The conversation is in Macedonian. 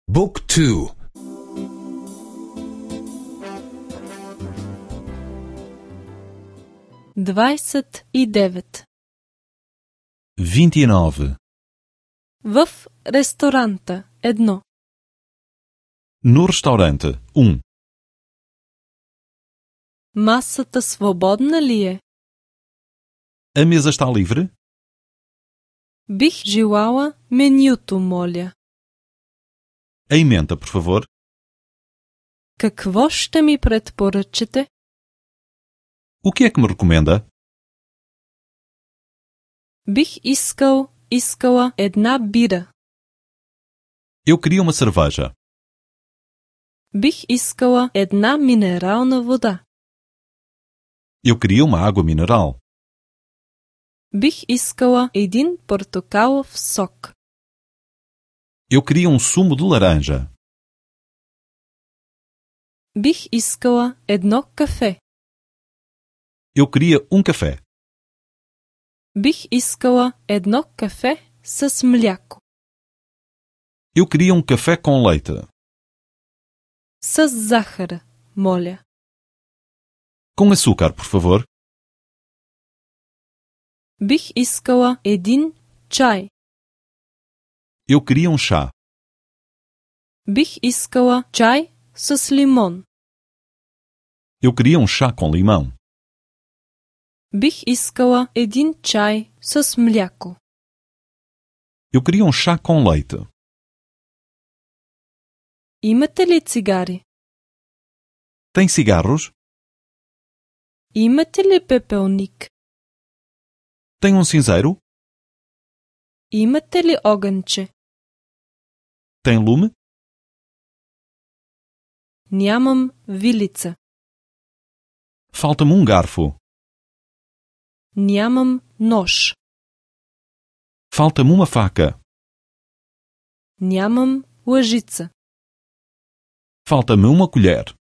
Book 2. 29. 29. В ресторанта 1. No restaurante 1. Масата свободна ли е? A mesa está livre? Бих желала менюто, моля. A emenda, por favor. Какво ще ми предпоръчате? O que é que me recomenda? Бих искала една бира. Eu queria uma cerveja. Бих искала една минерална вода. Eu queria uma água mineral. Бих искала един портокалов сок. Eu queria um sumo de laranja. Бих искала едно кафе. Eu queria café. Бих искала едно кафе с мляко. Eu queria café com leite. С захар, моля. Com açúcar, por favor. Бих искала един чай. Eu queria chá. Бих искала чай с лимон. Eu queria chá com limão. Бих искала един чай с мляко. Eu queria chá com leite. Имате ли цигари? Tem cigarros? Имате ли пепелник? Tem cinzeiro? Имате ли огънче? Tem lume? Нямам вилица. Falta-me garfo. Нямам нож. Falta-me faca. Нямам лъжица. Falta-me colher.